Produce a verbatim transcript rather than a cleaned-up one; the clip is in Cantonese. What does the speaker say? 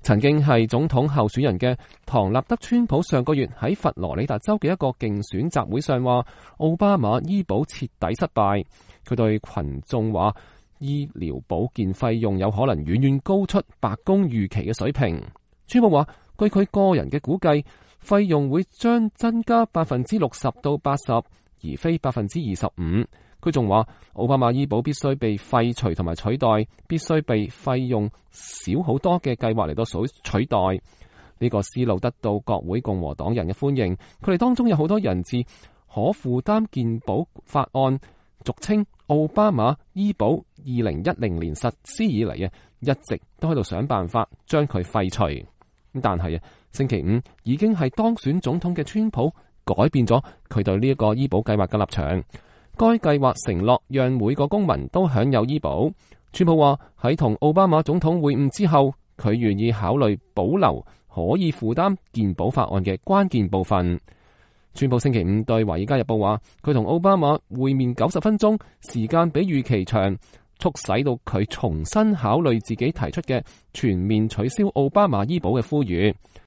曾經係總統候選人嘅唐納德·川普上個月喺佛羅里達州嘅一個競選集會上話，奧巴馬醫保徹底失敗。佢對群眾話，醫療保健費用有可能遠遠高出白宮預期嘅水平。川普話，據佢個人嘅估計，費用會將增加百分之六十到八十，而非百分之二十五。佢仲話，奧巴馬醫保必須被廢除同埋取代，必須被費用少好多嘅計劃嚟到取代。呢個思路得到國會共和黨人嘅歡迎，佢哋當中有好多人自可負擔健保法案，俗稱奧巴馬醫保二零一零年實施以嚟啊，一直都喺度想辦法將佢廢除。但係啊，星期五已經係當選總統嘅川普改變咗佢對呢一個醫保計劃嘅立場。該計劃承諾讓每個公民都享有醫保。川普話喺同奧巴馬總統會晤之後，佢願意考慮保留可以負擔健保法案嘅關鍵部分。川普星期五對《華爾街日報》話，佢同奧巴馬會面九十分鐘，時間比預期長，促使到佢重新考慮自己提出嘅全面取消奧巴馬醫保嘅呼籲。